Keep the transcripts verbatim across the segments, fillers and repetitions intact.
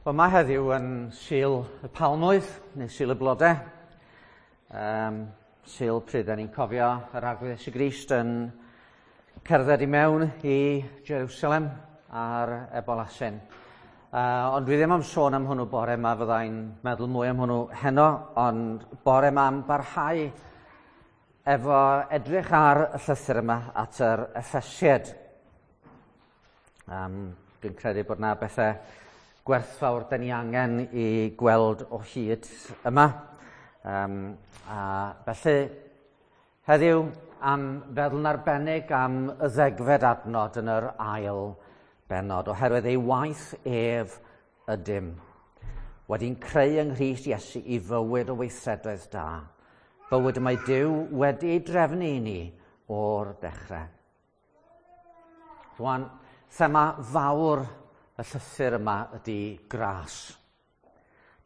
Wel, mae heddiw yn Sul y Palmwydd, neu Sul y Blodau. Um, Sul pryd da ni'n cofio yr Arglwydd Iesu Grist yn cerdded i mewn i Jerusalem ar ebol asyn. Uh, ond dwi ddim am sôn am hwnnw bore yma, fyddai'n meddwl mwy am hwnnw heno, ond bore yma am barhau efo edrych ar y llythyr yma at yr Effesied. Um, dwi'n credu bod na bethau gwerthfawr da ni angen i gweld o hyd yma. Um, a felly, heddiw am feddwl yn arbennig am y ddegfed adnod yn yr ail bennod, oherwydd ei waith ef ydym, wedi'n creu yng Nghrist Iesu i fywyd o weithredoedd da, bywyd y mae Duw wedi ei drefnu i ni o'r dechrau. Rwan, thema fawr y llythyr yma ydy gras.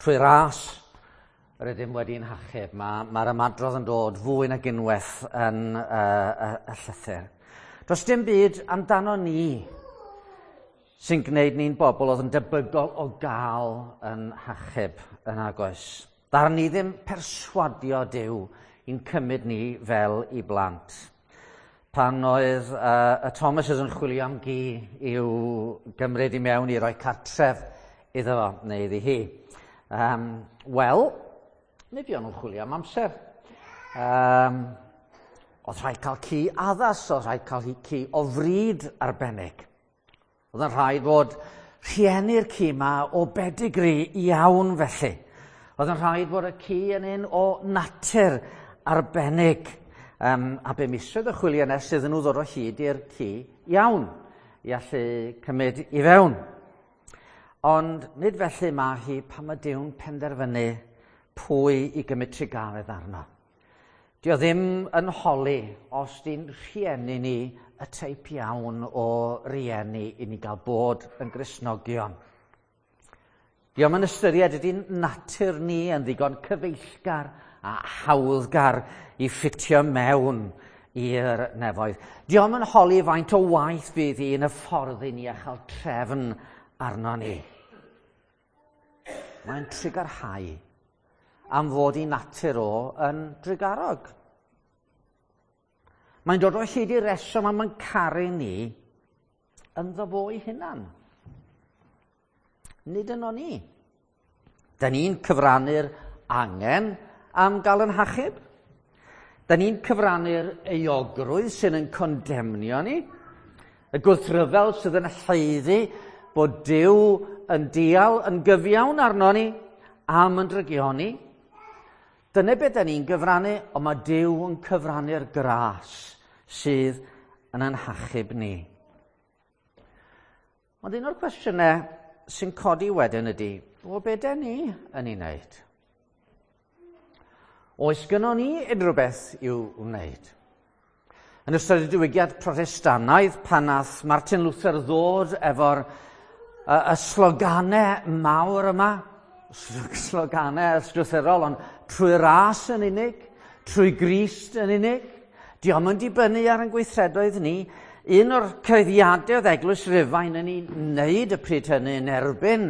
Trwy ras, yr ydym wedi'n hachub. Mae'r ma ymadrodd yn dod fwy nag unwaith yn uh, y, y llythyr. Does dim byd amdano ni sy'n gwneud ni'n bobl oedd yn debygol o gael yn hachub yn agos. Ddaru ni ddim perswadio Duw i'n cymryd ni fel i blant. Pan oedd uh, y Thomases yn chwilio am gi i'w gymryd i mewn i roi cartref iddo fo, neu iddi hi. Um, Wel, mi fuon nhw'n chwilio am amser. Um, oedd rhaid cael ci addas, oedd rhaid cael ci o frid arbennig. Oedd yn rhaid bod rhieni'r ci yma o bedigri iawn felly. Oedd yn rhaid bod y ci yn un o natur arbennig. Um, a be misoedd y chwilio nes iddyn nhw ddod o hyd i'r ci iawn i allu cymryd i fewn. Ond nid felly mae hi pan mae Duw'n penderfynu pwy i gymryd trugaredd arno. Dio ddim yn holi os di'n rhieni ni y teip iawn o rieni i ni gael bod yn Gristnogion. Dio'm yn ystyried ydy'n natur ni yn ddigon cyfeillgar a hawddgar i ffitio mewn i'r nefoedd. Dio'm yn holi faint o waith fydd hi yn y ffordd i ni a chael trefn arno ni. Mae'n trugarhau am fod i natur o yn drugarog. Mae'n dod o hyd i reswm am yn caru ni ynddo fo'i hunan. Nid yno ni. Da ni'n cyfrannu'r angen am gael yn hachub. Da ni'n cyfrannu'r euogrwydd sydd yn condemnio ni. Y gwrthryfel sydd yn haeddu bod Duw yn dial yn gyfiawn arno ni am yn drygioni. Dyna beth da ni'n gyfrannu, ond mae Duw yn cyfrannu'r gras sydd yn ein hachub ni. Ond un o'r cwestiynau sy'n codi wedyn ydy, o be da ni yn ei wneud? Oes gynnon ni unrhyw beth i'w wneud? Yn ystod y diwygiad Protestannaidd, pan nath Martin Luther ddod efo'r y, y sloganau mawr yma, sloganau ysgrythurol, ond trwy ras yn unig, trwy Grist yn unig, dio'm yn dibynnu ar ein gweithredoedd ni. Un o'r cyhoeddiadau oedd Eglwys Rufain yn ei wneud y pryd hynny yn erbyn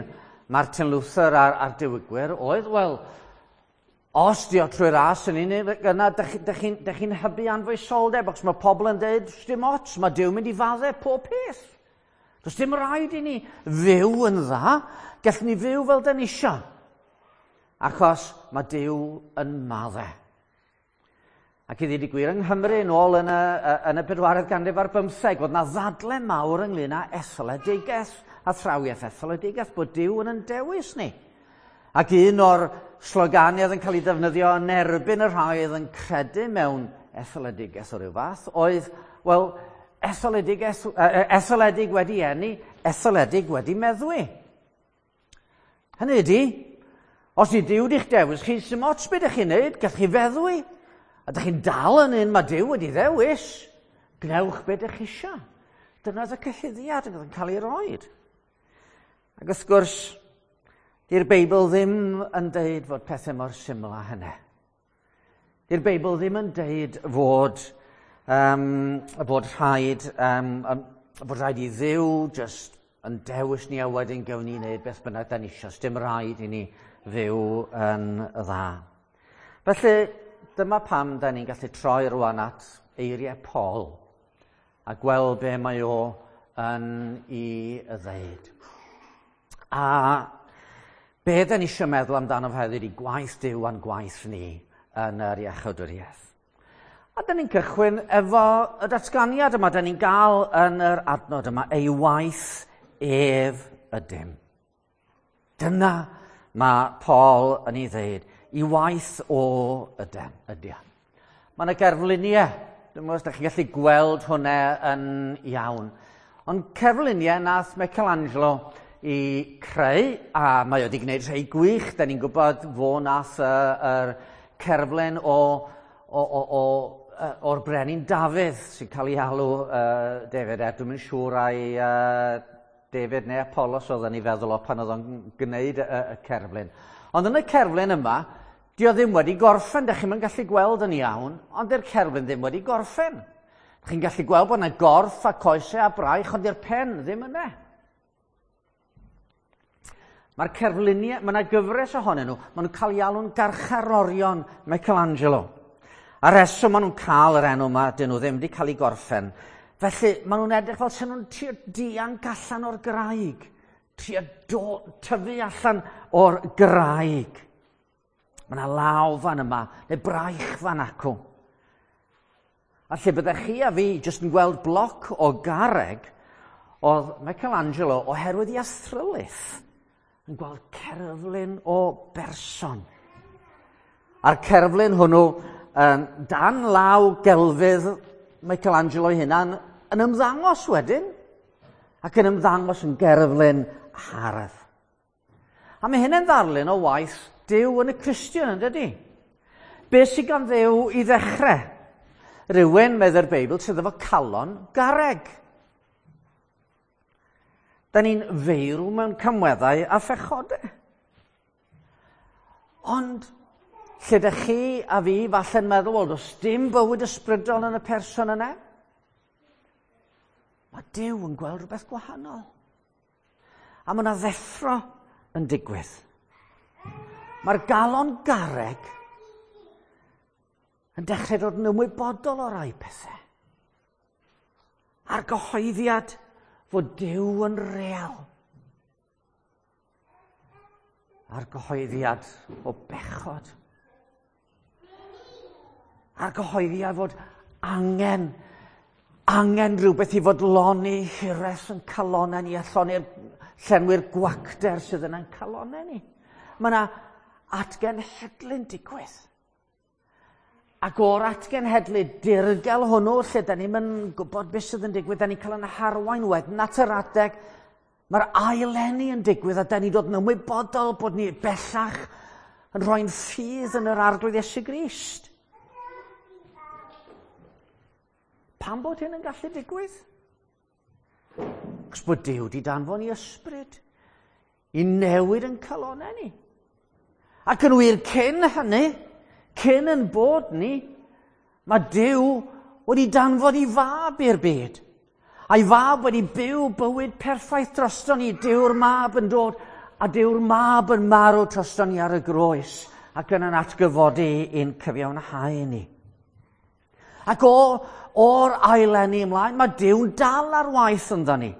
Martin Luther a'r, a'r diwygwyr oedd, wel, os dio trwy ras yn unig, yna dych chi'n chi hybu anfoesoldeb, achos mae pobl yn dweud, dim ots, mae Duw mynd i faddau pob peth. Does dim rhaid i ni fyw yn dda, gallwn ni fyw fel dyn ni isio, achos mae Duw yn maddau. Ac i ddweud y gwir, yng Nghymru yn ôl yn y, yn y bedwaredd ganrif ar bymtheg, oedd na ddadle mawr ynglyn â etholedigaeth, athrawiaeth etholedigaeth, bod Duw yn yn dewis ni. Ac un o'r sloganiau oedd yn cael ei ddefnyddio yn erbyn y rhai oedd yn credu mewn etholedigaeth o ryw fath, oedd, wel, etholedigaeth, etholedig wedi eni, etholedig wedi meddwi. Hynny ydy, os ydy Duw wedi'ch dewis chi, sy'm ots beth ydych chi'n neud, gallwch chi feddwi. A ydych chi'n dal yn un mae Duw wedi ddewis, gnewch beth ydych chi eisiau. Dyna oedd y cyhuddiad yn cael ei roed. Ac wrth gwrs, di'r Beibl ddim yn deud fod pethau mor syml â hynny. Di'r Beibl ddim yn deud fod, um, bod rhaid, um, fod rhaid i Dduw just yn dewis ni a wedyn gawn ni wneud beth bynnag da ni isio. Dim rhaid i ni fyw yn dda. Felly, dyma pam da ni'n gallu troi rwan at eiriau Paul a gweld be mae o yn ei ddeud. A be da ni eisiau meddwl amdano fe heddiw ydi gwaith Duw a'n gwaith ni yn yr iachawdwriaeth. A da ni'n cychwyn efo y datganiad yma, da ni'n gael yn yr adnod yma, ei waith ef ydym. Dyna mae Paul yn ei ddeud, ei waith o ydym, ydy. Mae yna gerfluniau, dwi'n meddwl os ydych chi'n gallu gweld hwnna yn iawn. Ond cerfluniau nath Michelangelo i creu, a mae o wedi gwneud rhai gwych, da ni'n gwybod fo nath yr cerflun o, o, o, o, o'r brenin Dafydd sy'n cael ei alw uh, David, er dwi'm yn siŵr ai uh, David neu Apollos oedd yn ei feddwl o pan oedd o'n gwneud y, y cerflun. Ond yn y cerflun yma, di o ddim wedi gorffen, da chi'm yn gallu gweld yn iawn, ond di'r cerflun ddim wedi gorffen. Chi'n gallu gweld bod yna gorff a coesau a braich, ond di'r pen ddim yna. Mae'r cerfluniau, mae yna gyfres ohonyn nhw, maen nhw'n cael ei alw'n garcharorion Michelangelo. A reswm maen nhw'n cael yr enw yma, dyn nhw ddim wedi cael ei gorffen. Felly, maen nhw'n edrych fel sy'n nhw'n trio dianc allan o'r graig. Trio do, tyfu allan o'r graig. Mae yna law fan yma, neu braich fan acw. A lle byddech chi a fi jyst yn gweld bloc o garreg, oedd Michelangelo, oherwydd ei athrylith, yn gweld cerflun o berson. A'r cerflun hwnnw, um, dan law gelfydd Michelangelo ei hunan, yn ymddangos wedyn, ac yn ymddangos yn gerflun hardd. A mae hynny'n ddarlun o waith Duw yn y Cristion, yn dydy? Be sydd gan Dduw i ddechrau? Rhywun, medde'r Beibl, sydd efo calon garreg. Da ni'n feirw mewn camweddau a phechodau. Ond, lle dych chi a fi falle'n meddwl, wel, does dim bywyd ysbrydol yn y person yna? Mae Duw yn gweld rhywbeth gwahanol. A mae yna ddeffro yn digwydd. Mae'r galon garreg yn dechrau dod yn ymwybodol o rai pethau. A'r gyhoeddiad fod Duw yn real. A'r gyhoeddiad o bechod. A'r gyhoeddiad fod angen, angen rhywbeth i fodloni hiraeth yn calonau ni a lloni'r llenwi'r gwacter sydd yn ein calonau ni. Mae yna atgenhedlu'n digwydd. Ac o'r atgenhedlu dirgel hwnnw, lle da ni'n yn gwybod beth sydd yn digwydd, da ni'n cael yn harwain wedyn at yr adeg, mae'r aileni yn digwydd a da ni'n dod yn ymwybodol bod ni bellach yn rhoi'n ffydd yn yr Arglwydd Iesu Grist. Pam bod hyn yn gallu digwydd? Cos bod Duw wedi danfon ei ysbryd i newid yn calonau ni. Ac yn wir cyn hynny, cyn yn bod ni, mae Duw wedi danfon ei fab i'r byd. A'i fab wedi byw bywyd perffaith drosto ni. Duw'r mab yn dod, a Duw'r mab yn marw drosto ni ar y groes, ac yn yn atgyfodi i'n cyfiawnhau ni. Ac o, o'r aileni ymlaen, mae Duw'n dal ar waith ynddo ni.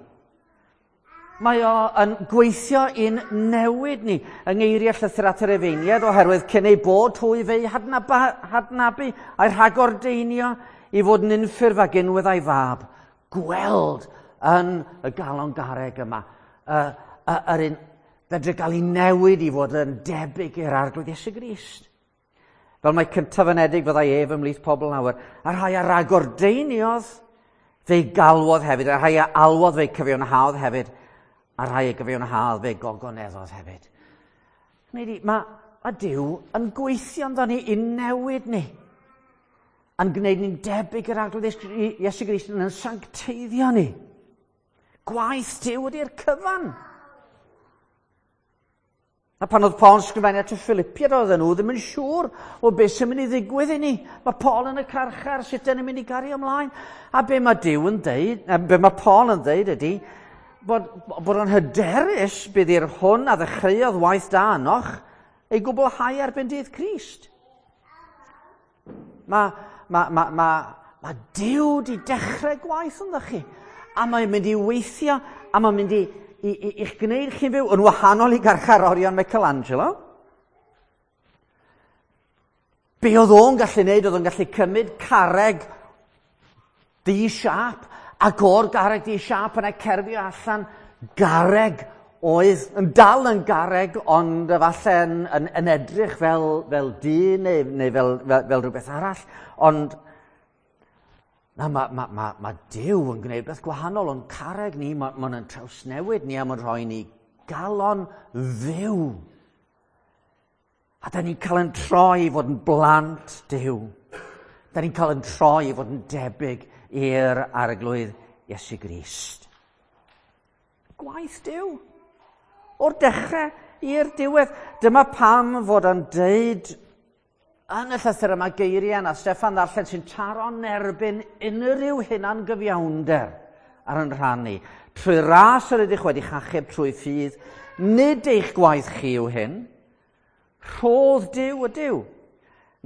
Mae o yn gweithio i'n newid ni yng ngeiriau llythyr at yr Efeiniaid, oherwydd cyn ei bod hwy fe'i hadnabu a'i rhagordeinio i fod yn unffurf ag unwedd a'i fab. Gweld yn y galon garreg yma, y, y, yr un fedru gael ei newid i fod yn debyg i'r Arglwydd Iesu Grist. Fel mae cyntaf anedig fyddai ef ymhlith pobl lawer, a rhai a ragordeiniodd fe'i galwodd hefyd, a rhai a alwodd fe'i cyfiawnhaodd hefyd, a rhai a gyfiawnhaodd fe'i gogoneddodd hefyd. Hynny ydi, mae, mae Duw yn gweithio ynddo ni i newid ni, yn gwneud ni'n debyg i'r Arglwydd Iesu Grist, yn sancteiddio ni. Gwaith Duw ydy'r cyfan. A pan oedd Paul yn sgrifennu at y Philippiaid, oedden nhw ddim yn siŵr o beth sy'n mynd i ddigwydd i ni. Mae Paul yn y carchar, sut dyn ni'n mynd i gario ymlaen? A be mae Duw yn deud, a be mae Paul yn deud ydy, bod, bod o'n hyderus bydd i'r hwn a ddechreuodd waith da ynoch ei gwblhau erbyn dydd Crist. Mae ma, ma, ma, ma Duw di dechrau gwaith ynddo chi. A mae'n mynd i weithio, a mae'n mynd i, i, i, i'ch gwneud chi'n fyw yn wahanol i garcharorion Michelangelo. Be oedd o'n gallu gwneud? Oedd o'n gallu cymryd carreg di-siâp, ac o'r garreg di-siâp yna cerfio allan garreg oedd yn dal yn garreg, ond efallai yn, yn, yn edrych fel, fel dyn neu, neu fel, fel, fel rhywbeth arall. Ond na, mae ma, ma, ma Duw yn gwneud beth gwahanol, ond carreg ni, mae'n ma yn trawsnewid ni a mae'n rhoi ni galon fyw. A da ni'n cael yn troi i fod yn blant Duw. Da ni'n cael yn troi i fod yn debyg i'r Arglwydd Iesu Grist. Gwaith Duw. O'r dechrau i'r diwedd. Dyma pam fod o'n deud yn y llythyr yma geiriau na Steffan ddarllen sy'n taro'n erbyn unrhyw hunan gyfiawnder ar yn rhan ni. Trwy ras yr ydych wedi achub trwy ffydd, nid eich gwaith chi yw hyn. Rhodd Duw ydyw.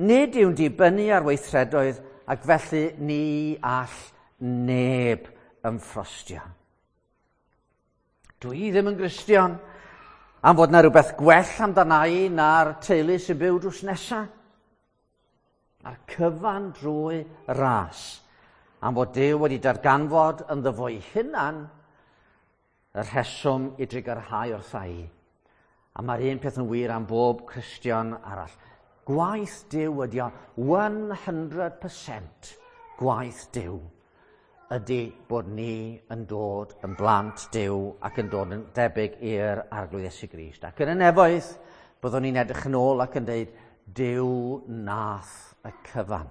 Nid yw'n dibynnu ar weithredoedd ac felly ni all neb ymffrostio. Dwi ddim yn Gristion am fod na rhywbeth gwell amdana i na'r teulu sy'n byw drws nesa. A'r cyfan drwy ras am fod Duw wedi darganfod ynddo fo'i hunan y rheswm i drugarhau wrtha i. A mae'r un peth yn wir am bob Cristion arall. Gwaith Duw ydi o, one hundred percent gwaith Duw ydy bod ni yn dod yn blant Duw ac yn dod yn debyg i'r Arglwydd Iesu Grist. Ac yn y nefoedd, byddwn ni'n edrych yn ôl ac yn dweud, Duw nath y cyfan.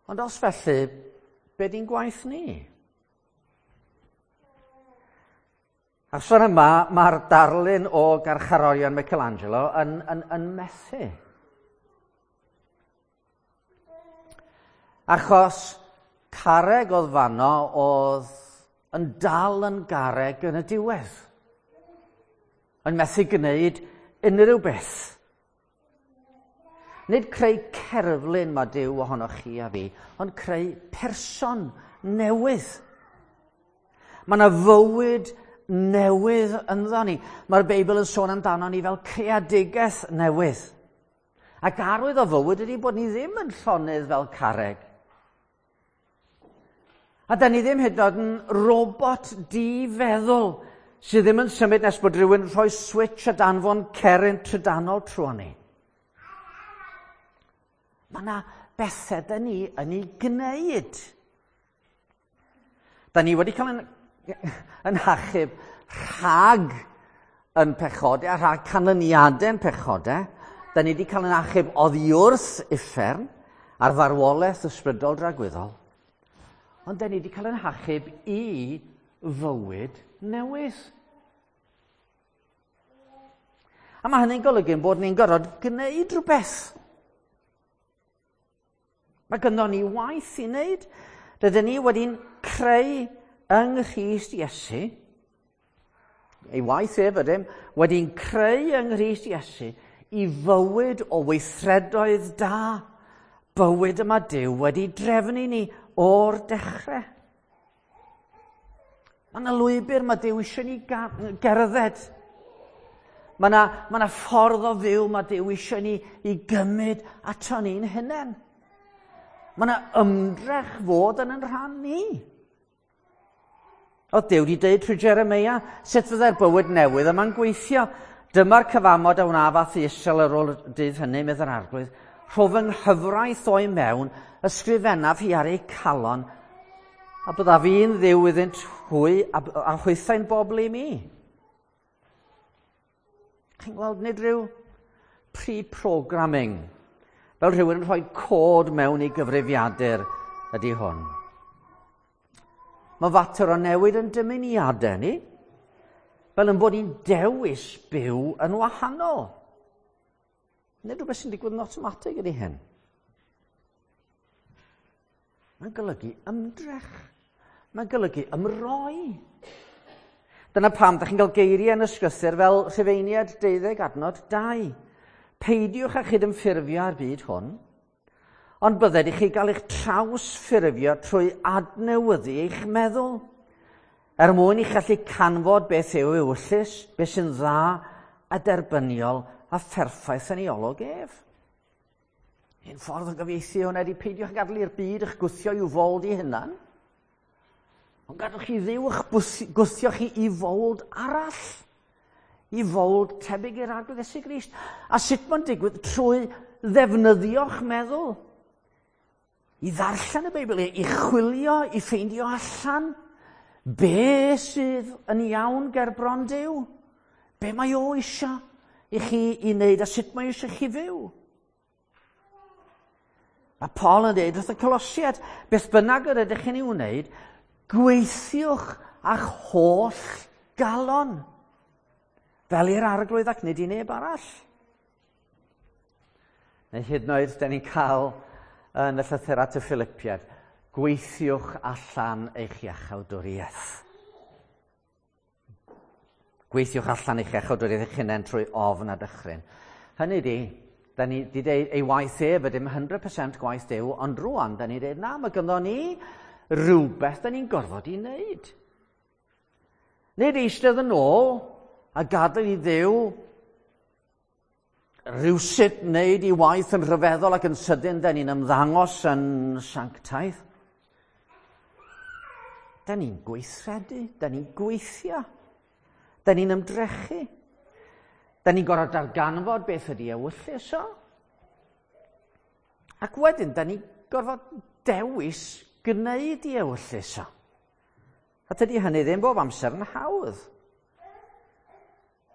Ond os felly, be di'n gwaith ni? A'r sôn yma, mae'r darlun o garcharorion Michelangelo yn, yn, yn methu. Achos carreg oedd fanno oedd yn dal yn garreg yn y diwedd. Yn methu gwneud unrhyw beth. Nid creu cerflun mae Duw ohonoch chi a fi, ond creu person newydd. Mae yna fywyd newydd ynddo ni. Mae'r Beibl yn sôn amdano ni fel creadigaeth newydd. Ac arwydd o fywyd ydy bod ni ddim yn llonydd fel carreg. A da ni ddim hyd yn oed yn robot di-feddwl sydd ddim yn symud nes bod rhywun yn rhoi switch a danfon ceryn trydanol trwy ni. Mae yna bethau da ni yn ei gwneud. Da ni wedi cael yn, yn hachub rhag yn pechodau a rhag canlyniadau'n pechodau. Da ni wedi cael yn achub oddi wrth uffern a'r farwolaeth ysbrydol dragwyddol. Ond da ni wedi cael yn hachub i fywyd newydd. A mae hynny'n golygu bod ni'n gorfod gwneud rhywbeth. Mae gynnon ni waith i wneud. Rydyn ni wedi'n creu yng Nghrist Iesu, ei waith ef ydym, wedi'n creu yng Nghrist Iesu i fywyd o weithredoedd da. Bywyd yma Duw wedi drefnu ni o'r dechrau. Mae yna lwybr mae Duw eisiau ni gerdded. Mae yna, mae yna ffordd o fyw mae Duw eisiau ni i gymryd ato ni'n hunain. Mae yna ymdrech fod yn yn rhan ni. Oedd Duw wedi dweud trwy Jeremia sut fyddai'r bywyd newydd yma'n gweithio. Dyma'r cyfamod a wnaf â Israel ar ôl dydd hynny, medd yr Arglwydd. Rho fy nghyfraith o'i mewn, ysgrifennaf hi ar eu calon, a byddaf i'n Dduw iddynt hwy a, a hwythau'n bobl i mi. Chi'n gweld, nid rhyw pre-programming, fel rhywun yn rhoi cod mewn i gyfrifiadur ydy hwn. Mae fater o newid yn dymuniadau ni, fel yn bod ni'n dewis byw yn wahanol. Nid rhywbeth sy'n digwydd yn automatig ydy hyn. Mae'n golygu ymdrech. Mae'n golygu ymroi. Dyna pam ydych chi'n cael geiriau yn y Ysgrythur fel Rhufeiniaid deuddeg adnod dau. Peidiwch â chydymffurfio â'r byd hwn, ond bydded i chi gael eich trawsffurfio trwy adnewyddu eich meddwl, er mwyn i chi allu canfod beth yw ewyllys, beth sy'n dda a derbyniol a pherffaith yn ei olwg ef. Un ffordd o gyfieithu hwnna ydy peidiwch gadael i'r byd eich gwthio i'w fold i hunan, ond gadwch chi Dduw eich gwthio chi i fold arall, i fold tebyg i'r Arglwydd Iesu Grist. A sut mae'n digwydd? Trwy ddefnyddio'ch meddwl, i ddarllen y Beibl, i chwilio, i ffeindio allan be sydd yn iawn ger bron Duw, be mae o eisiau i chi i wneud a sut mae eisiau chi fyw. Mae Paul yn dweud wrth y Colosiaid, beth bynnag yr ydych chi'n ei wneud, gweithiwch â'ch holl galon, fel i'r Arglwydd ac nid i neb arall. Neu hyd yn oed, da ni'n cael yn y llythyr at y Philippiaid, gweithiwch allan eich iachawdwriaeth. Gweithiwch allan eich iachawdwriaeth eich hunain trwy ofn a dychryn. Hynny di, da ni di deud ei waith ef ydym cant y cant gwaith Duw, ond rwan, da ni dweud, na, mae ganddo ni rhywbeth da ni'n gorfod i wneud. Nid eistedd yn ôl a gadael i Dduw rhywsut wneud i waith yn rhyfeddol ac yn sydyn, da ni'n ymddangos yn sanctaidd. Da ni'n gweithredu, da ni'n gweithio, da ni'n ymdrechu. Da ni'n gorfod darganfod beth ydy ewyllys o. Ac wedyn, da ni'n gorfod dewis gwneud i ewyllys o. A tydi hynny ddim bob amser yn hawdd.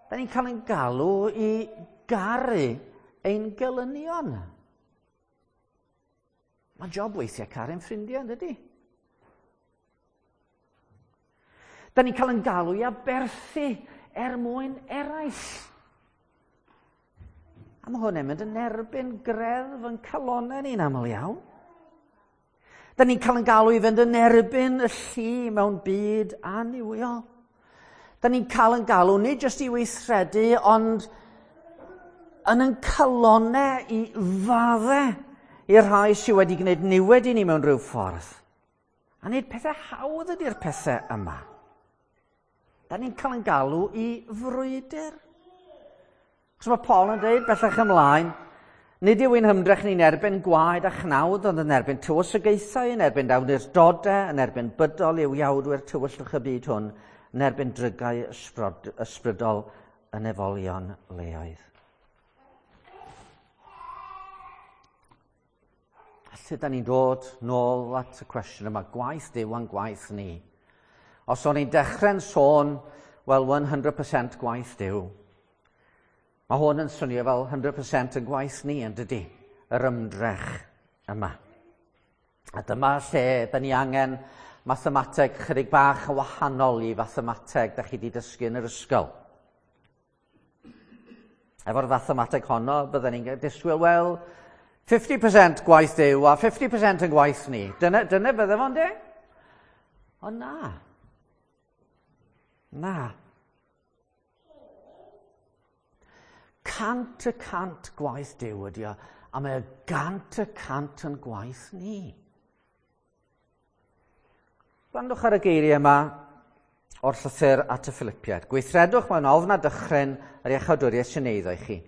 Da ni'n cael ein galw i garu ein gelynion. Mae'n job weithiau caru'n ffrindiau, yn dydi? Da ni'n cael ein galw i aberthu er mwyn eraill. A mae hwn yn mynd yn erbyn greddf yn calonau ni'n aml iawn. Da ni'n cael ein galw i fynd yn erbyn y llu mewn byd annuwiol. Da ni'n cael ein galw nid jyst i weithredu, ond yn ein calonau i faddau i'r rhai sydd wedi gwneud niwed i ni mewn rhyw ffordd. A nid pethau hawdd ydy'r pethau yma. Da ni'n cael ein galw i frwydr. Chos mae Paul yn dweud bellach ymlaen, nid yw ein hymdrech ni'n erbyn gwaed a chnawd, ond yn erbyn tywysogaethau, yn erbyn awdurdodau, yn erbyn bydol yw iawdwyr tywyllwch y byd hwn, yn erbyn drygau ysbrydol y nefolion leoedd. A lle da ni'n dod nôl at y cwestiwn yma, gwaith Duw a'n gwaith ni. Os o'n i'n dechrau'n sôn, wel, cant y cant gwaith Duw. Mae hwn yn swnio fel cant y cant yn gwaith ni, yn dydi, yr ymdrech yma. A dyma lle da ni angen mathemateg chydig bach yn wahanol i fathemateg da chi wedi dysgu yn yr ysgol. Efo'r fathemateg honno, bydden ni'n disgwyl, wel, fifty percent gwaith Duw a fifty percent yn gwaith ni. Dyna, dyna bydde fo'n de? Ond na. Na. Cant y cant gwaith Duw ydi o, a mae gant y cant yn gwaith ni. Gwrandwch ar y geiriau yma o'r llythyr at y Philippiaid. Gweithredwch mewn ofn a dychryn yr iachawdwriaeth sy'n eiddo i chi.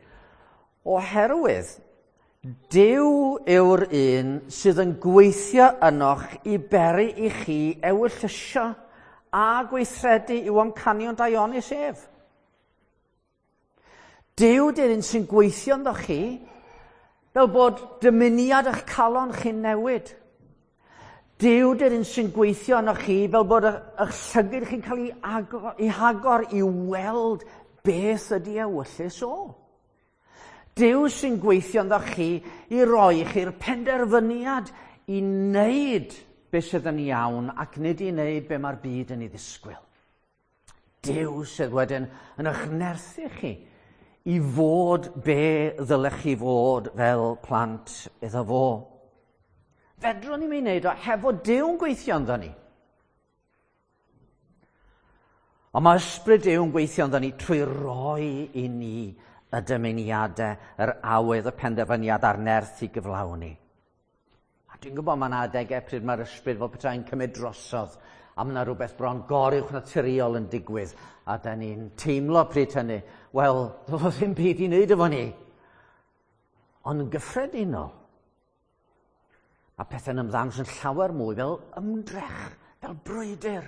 Oherwydd, Duw yw'r un sydd yn gweithio ynoch i beri i chi ewyllysio a gweithredu i'w amcanion daionus ef. Duw di'r un sy'n gweithio ynddo chi fel bod dymuniad eich calon chi'n newid. Duw di'r un sy'n gweithio yno chi fel bod eich llygyd chi'n cael ei agor, ei hagor i weld beth ydy ewyllys o. Duw sy'n gweithio ynddo chi i roi chi'r penderfyniad i wneud beth sydd yn iawn ac nid i wneud be mae'r byd yn ei ddisgwyl. Duw sydd wedyn yn eich nerthu chi i fod be ddylech chi fod fel plant iddo fo. Fedrwn ni'm ei wneud o hefo Duw'n gweithio ynddo ni. Ond mae ysbryd Duw'n gweithio ynddo ni trwy roi i ni y dymuniadau, yr awydd, y penderfyniad a'r nerth i gyflawni. A dwi'n gwybod mae yna adegau pryd mae'r ysbryd fel petai'n cymryd drosodd, a mae yna rhywbeth bron goruwch naturiol yn digwydd, a da ni'n teimlo pryd hynny, wel, doedd o ddim byd i wneud efo ni. Ond yn gyffredinol, mae pethau'n ymddangos yn llawer mwy fel ymdrech, fel brwydr.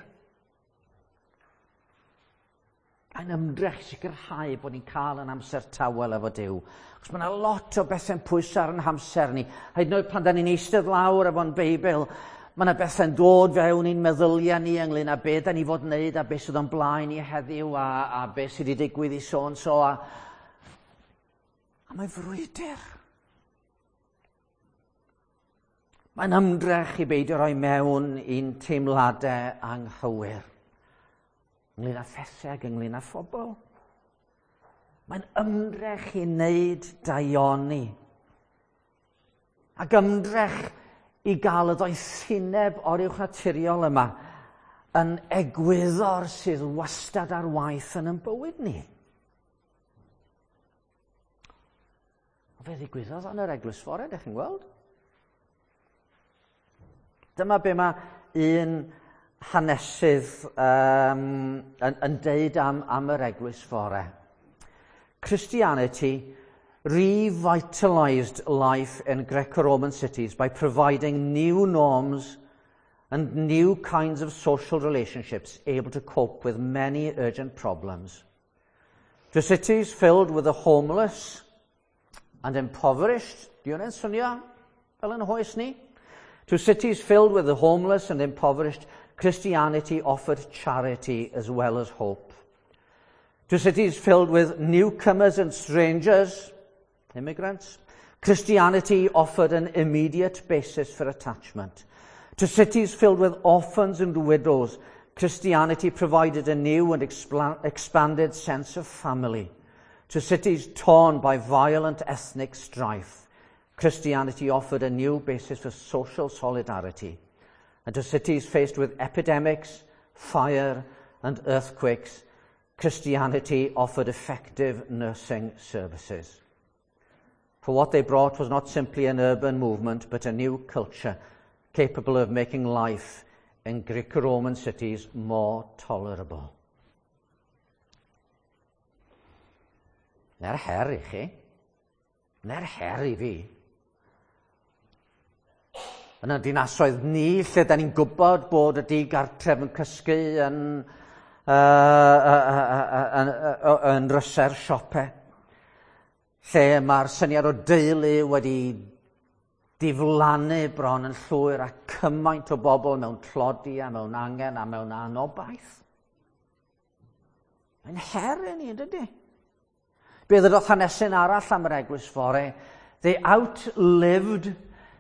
Mae'n ymdrech sicrhau bod ni'n cael yn amser tawel efo Duw. Achos mae yna lot o bethau'n pwyso ar yn hamser ni. Hyd yn oed pan da ni'n eistedd lawr efo'n Beibl, mae yna bethau'n dod fewn i'n meddyliau ni ynglyn â be da ni fod wneud a beth sydd o'n blaen ni heddiw a, a beth sydd wedi digwydd i so so. A, a mae frwydr. Mae'n ymdrech i beidio rhoi mewn i'n teimladau anghywir. Ynglyn â phethau ac ynglyn â phobl. Mae'n ymdrech i wneud daioni. Ac ymdrech i gael y ddoethineb oruwchnaturiol yma yn egwyddor sydd wastad ar waith yn ein bywyd ni. O fe ddigwyddodd yn yr eglwys fore, ydych chi'n gweld? Dyma be mae un hanesydd um, yn, yn deud am, am yr eglwys fore. Christianity revitalized life in Greco-Roman cities by providing new norms and new kinds of social relationships able to cope with many urgent problems. To cities filled with the homeless and impoverished, di hwnna'n swnio fel yn hoes ni? To cities filled with the homeless and impoverished, Christianity offered charity as well as hope. To cities filled with newcomers and strangers, immigrants, Christianity offered an immediate basis for attachment. To cities filled with orphans and widows, Christianity provided a new and expanded sense of family. To cities torn by violent ethnic strife, Christianity offered a new basis for social solidarity. And to cities faced with epidemics, fire and earthquakes, Christianity offered effective nursing services. For what they brought was not simply an urban movement, but a new culture capable of making life in Greco-Roman cities more tolerable. Na'r her i chi. Na'r her i fi. Yn y dinasoedd ni, lle da ni'n gwybod bod y digartref yn cysgu yn, uh, uh, uh, uh, uh, yn ryse'r siopau, lle mae'r syniad o deulu wedi diflannu bron yn llwyr a cymaint o bobl mewn tlodi a mewn angen a mewn anobaith. Mae'n her i ni, dydy? Be ddydodd hanesyn arall am yr eglwys fore? They outlived,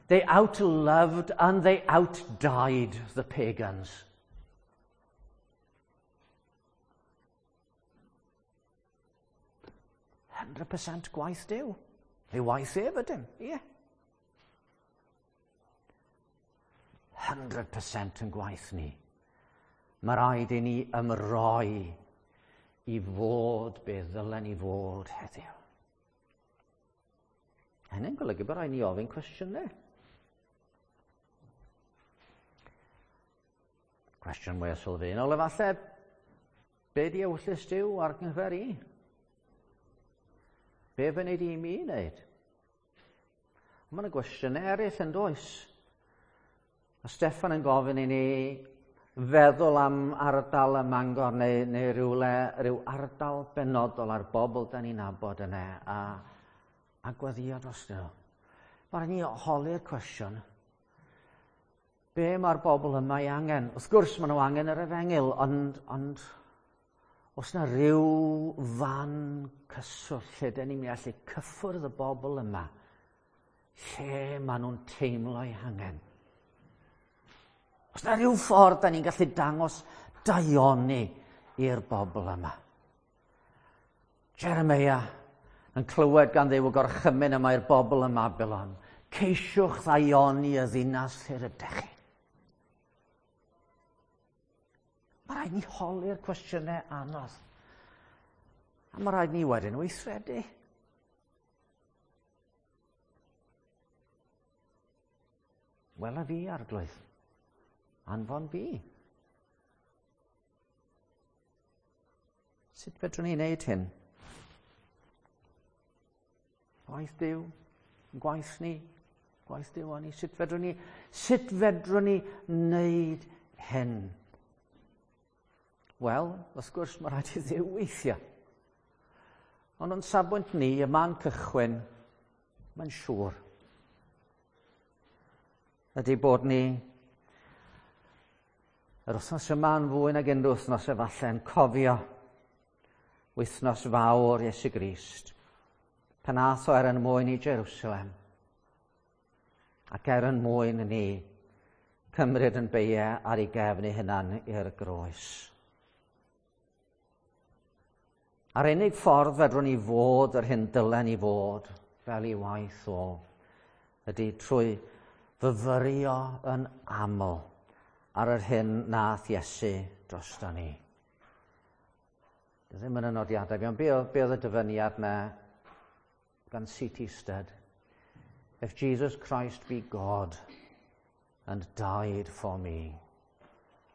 they outloved and they outdied the pagans. one hundred percent gwaith Duw. Ei waith ef ydym, ie. Yeah. one hundred percent yn gwaith ni. Mae rhaid i ni ymroi i fod be ddylen ni fod heddiw. Hynny'n golygu bod rhaid ni ofyn cwestiynau. Cwestiwn mwy sylfaenol efallai, be di ewyllys Duw ar gyfer i? Be fy wneud i mi wneud? Mae yna gwestiynau eraill yn does. A Steffan yn gofyn i ni feddwl am ardal y Mangor neu, neu rhywle, rhyw ardal benodol ar bobl da ni'n nabod yna a, a gweddïo dros nhw. Mae rhaid ni holi'r cwestiwn. Be mae'r bobl yma ei angen? Wrth gwrs maen nhw angen yr efengyl, ond, ond os na rhyw fan cyswllt lle dyn ni'n allu cyffwrdd y bobl yma, lle maen nhw'n teimlo eu hangen. Os na rhyw ffordd da ni'n gallu dangos daioni i'r bobl yma. Jeremiah yn clywed gan Dduw y gorchymyn yma i'r bobl ym Mabilon. Ceisiwch ddaioni y ddinas lle rydych chi. Mae rhaid ni holi'r cwestiynau anodd. A mae rhaid ni wedyn weithredu. Wela fi, Arglwydd. Anfon fi. Sut fedrwn ni wneud hyn? Gwaith Duw, gwaith ni, gwaith Duw a ni. Sut fedrwn ni, sut fedrwn ni wneud hyn? Wel, wrth gwrs, mae rhaid i Dduw weithio. Ond o'n safbwynt ni, y man cychwyn, mae'n siŵr, ydy bod ni yr wythnos yma yn fwy nag unrhyw wythnos efallai yn cofio wythnos fawr Iesu Grist, pan ath o er yn mwyn i Jerusalem ac er yn mwyn ni cymryd yn beiau ar ei gefn ei hunan i'r groes. A'r unig ffordd fedrwn ni fod yr hyn dylen ni fod fel ei waith o ydy trwy fyfyrio yn aml ar yr hyn nath Iesu drosto ni. Ddim yn y nodiadau fi, ond be oedd, be oedd y dyfyniad na gan C T Studd? If Jesus Christ be God and died for me,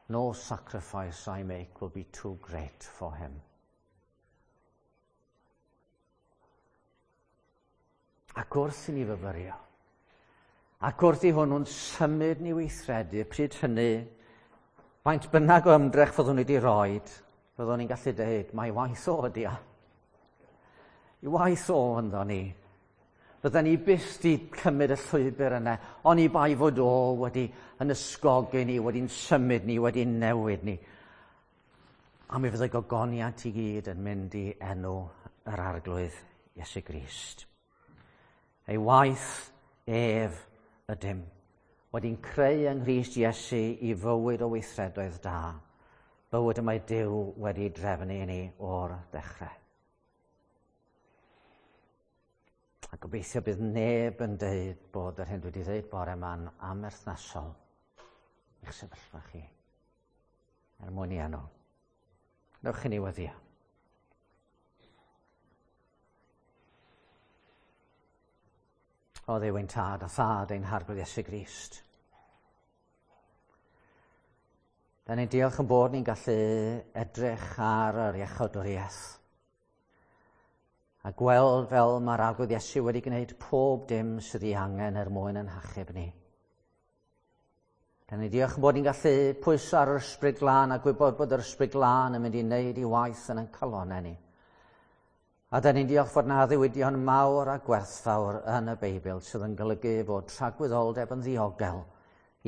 no sacrifice I make will be too great for him. Ac wrth i ni fyfyrio, ac wrth i hwnnw'n symud ni weithredu, pryd hynny, faint bynnag o ymdrech fyddwn ni wedi roed, fyddwn ni'n gallu dweud, mae waith o ydi o. I waith o ynddo ni. Fydden ni byth di cymryd y llwybr yna, ond i bai fod o wedi yn ysgogi ni, wedi'n symud ni, wedi'n newid ni. A mi fydd y gogoniant i gyd yn mynd i enw yr Arglwydd Iesu Grist. Ei waith ef ydym, wedi'n creu yng Nghrist Iesu i fywyd o weithredoedd da, bywyd y mae Duw wedi drefnu i ni o'r dechrau. A gobeithio bydd neb yn deud bod yr hyn dwi wedi dweud bore yma'n amherthnasol i'ch sefyllfa chi, er mwyn i enw. Newch i ni weddïo. O Dduw ein Tad a Thad ein Harglwydd Iesu Grist. Da ni'n diolch yn bod ni'n gallu edrych ar yr iachawdwriaeth a gweld fel mae'r Arglwydd Iesu wedi gwneud pob dim sydd ei angen er mwyn yn hachub ni. Da ni'n diolch yn bod ni'n gallu pwyso ar yr Ysbryd Glân a gwybod bod yr Ysbryd Glân yn mynd i wneud ei waith yn ein calonnau ni. A da ni'n diolch fod na addewidion mawr a gwerthfawr yn y Beibl sydd yn golygu fod tragwyddoldeb yn ddiogel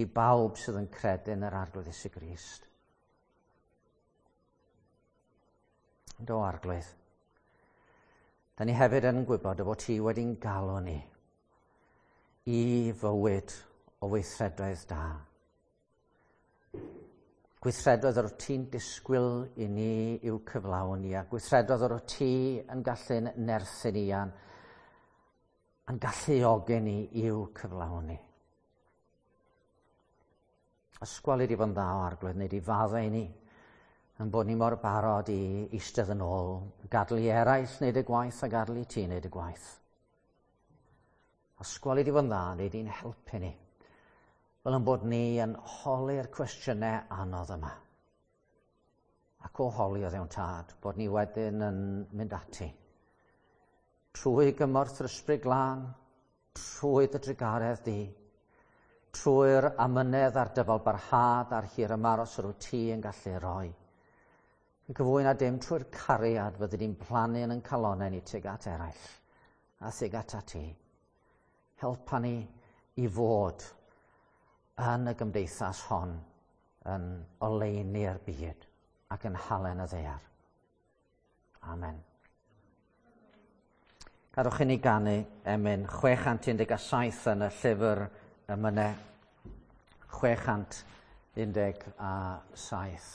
i bawb sydd yn credu yn yr Arglwydd Iesu Grist. Do, Arglwydd, da ni hefyd yn gwybod y bod ti wedi'n galw ni i fywyd o weithredoedd da. Gweithredoedd yr wyt ti'n disgwyl i ni i'w cyflawni, a gweithredoedd yr wyt ti yn gallu'n nerthu ni a'n, a'n galluogi ni i'w cyflawni. Ysgweli di fod yn dda o Arglwydd, neu di faddau i ni, yn bod ni mor barod i eistedd yn ôl, gadael i eraill wneud y gwaith a gadael i ti wneud y gwaith. Ysgweli di fod yn dda, neu di'n helpu ni, fel yn bod ni yn holi'r cwestiynau anodd yma. Ac o holi o Dduw'n Tad, bod ni wedyn yn mynd ati. Trwy gymorth yr Ysbryd Glân, trwy dy drugaredd di, trwy'r amynedd a'r dyfalbarhad a'r hir ymaros yr wyt ti yn gallu roi. Yn gyfwy na dim trwy'r cariad fyddi di'n plannu yn ein calonnau ni tuag at eraill a tuag at ti. Helpa ni i fod yn y gymdeithas hon yn oleuni'r byd ac yn halen y ddaear. Amen. Gadewch i ni ganu emyn chwe chant un deg saith yn y llyfr emynau chwe chant un deg saith.